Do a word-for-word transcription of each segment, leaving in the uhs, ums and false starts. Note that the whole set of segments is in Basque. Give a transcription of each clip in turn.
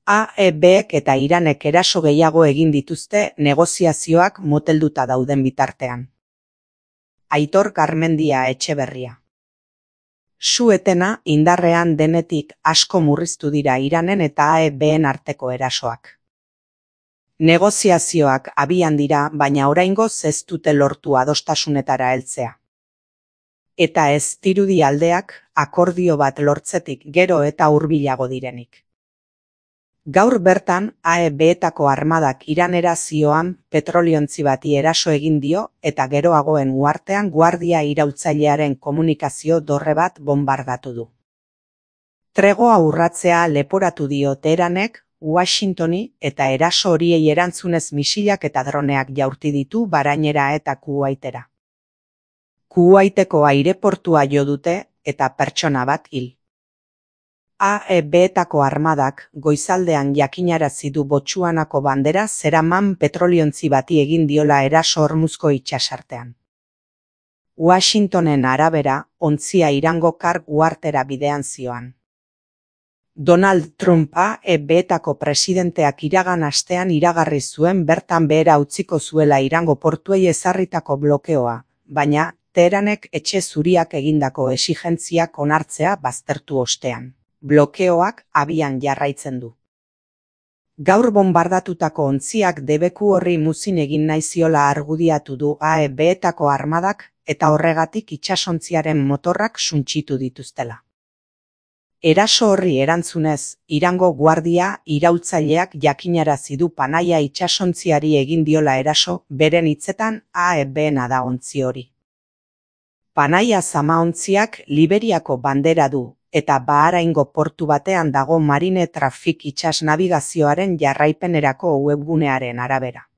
A E Bek eta Iranek eraso gehiago egin dituzte negoziazioak motelduta dauden bitartean. Aitor Garmendia Etxeberria. Su-etena indarrean denetik asko murriztu dira Iranen eta A E Ben arteko erasoak. Negoziazioak abian dira, baina oraingoz ez dute lortu adostasunetara heltzea. Eta ez dirudi aldeak akordio bat lortzetik gero eta hurbilago direnik. Gaur bertan A E Betako armadak Iranera zioan petroliontzi bati eraso egin dio eta geroagoen uhartean guardia iraultzailearen komunikazio dorre bat bonbardatu du. Tregoa urratzea leporatu dio Teheranek Washingtoni eta eraso horiei erantzunez misilak eta droneak jaurti ditu Barainera eta Kuwaitera. Kuwaiteko aireportua jo dute eta pertsona bat hil. A E Betako armadak goizaldean jakinarazi du Botsuanako bandera zeraman petroliontzi bati egin diola eraso Hormuzko itsasartean. Washingtonen arabera, ontzia Irango Kar uhartera bidean zioan. Donald Trump A E Betako presidenteak iragan astean iragarri zuen bertan behera utziko zuela Irango portuei ezarritako blokeoa, baina Teheranek etxe zuriak egindako exigentziak onartzea baztertu ostean. Blokeoak abian jarraitzen du. Gaur bonbardatutako ontziak debeku horri muzin egin nahi ziola argudiatu du A E Betako armadak eta horregatik itsasontziaren motorrak suntsitu dituztela. Eraso horri erantzunez, Irango guardia iraultzaileak jakinarazi du Panaia itsasontziari egin diola eraso, beren hitzetan A E Bena da ontzi hori. Panaia zamaontziak Liberiako bandera du, eta Baharaingo portu batean dago Marine Traffic itsas nabigazioaren jarraipenerako webgunearen arabera.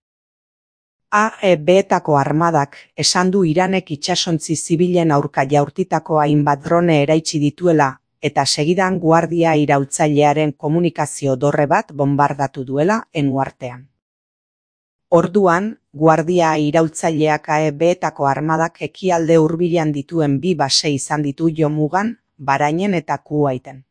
A E Betako armadak esan du Iranek itsasontzi zibilen aurka jaurtitako hainbat drone eraitsi dituela, eta segidan guardia iraultzailearen komunikazio dorre bat bonbardatu duela uhartean. Orduan, guardia iraultzaileak A E Betako armadak ekialde hurbilean dituen bi base izan ditu jomugan, Barainen eta Kuwaiten.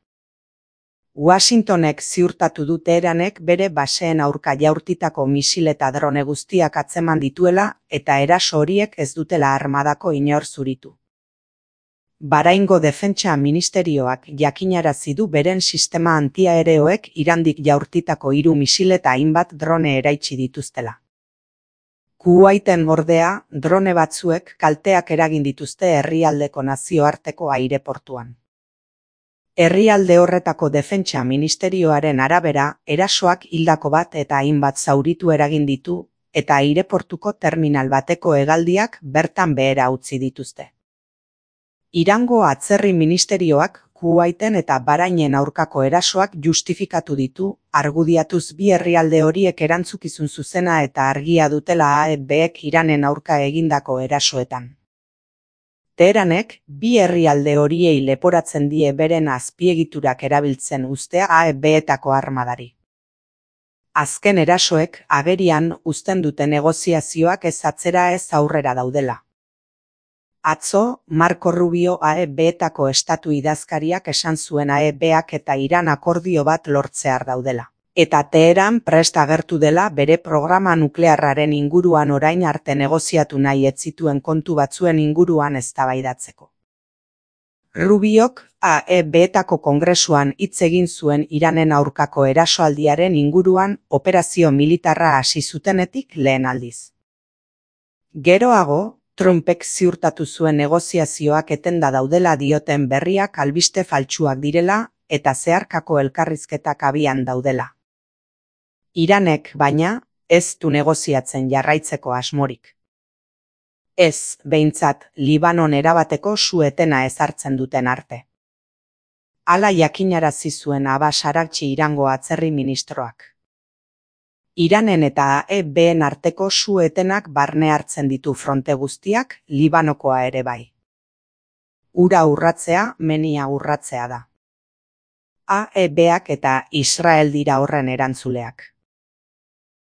Washingtonek ziurtatu du Teheranek bere baseen aurka jaurtitako misil eta drone guztiak atzeman dituela eta eraso horiek ez dutela armadako inor zuritu. Bahraingo Defentsa Ministerioak jakinarazi du beren sistema antiaereoek Irandik jaurtitako hiru misil eta hainbat drone eraitsi dituztela. Kuwaiten ordea, drone batzuek kalteak eragin dituzte herrialdeko nazioarteko aireportuan. Herrialde horretako Defentsa Ministerioaren arabera, erasoak hildako bat eta hainbat zauritu eragin ditu, eta aireportuko terminal bateko hegaldiak bertan behera utzi dituzte. Irango Atzerri Ministerioak Kuwaiten eta Bahrainen aurkako erasoak justifikatu ditu, argudiatuz bi herrialde horiek erantzukizun zuzena eta argia dutela A E Bek Iranen aurka egindako erasoetan. Teheranek bi herrialde horiei leporatzen die beren azpiegiturak erabiltzen ustea A E Betako armadari. Azken erasoek agerian uzten dute negoziazioak ez atzera ez aurrera daudela. Atzo, Marco Rubio A E Betako estatu idazkariak esan zuen A E Bak eta Iran akordio bat lortzear daudela. Eta Teheran prest agertu dela bere programa nuklearraren inguruan orain arte negoziatu nahi ez zituen kontu batzuen inguruan eztabaidatzeko. Rubiok A E Betako kongresuan hitz egin zuen Iranen aurkako erasoaldiaren inguruan operazio militarra hasi zutenetik lehen aldiz. Geroago, Trumpek ziurtatu zuen negoziazioak etenda daudela dioten berriak albiste faltsuak direla eta zeharkako elkarrizketak abian daudela. Iranek, baina, ez du negoziatzen jarraitzeko asmorik. Ez, behintzat, Libanon erabateko su-etena ezartzen duten arte. Hala jakinarazi zuen Abbas Araghchi Irango atzerri ministroak. Iranen eta A E Been arteko su-etenak barne hartzen ditu fronte guztiak, Libanokoa ere bai. Ura urratzea, menia urratzea da. A E Bak eta Israel dira horren erantzuleak.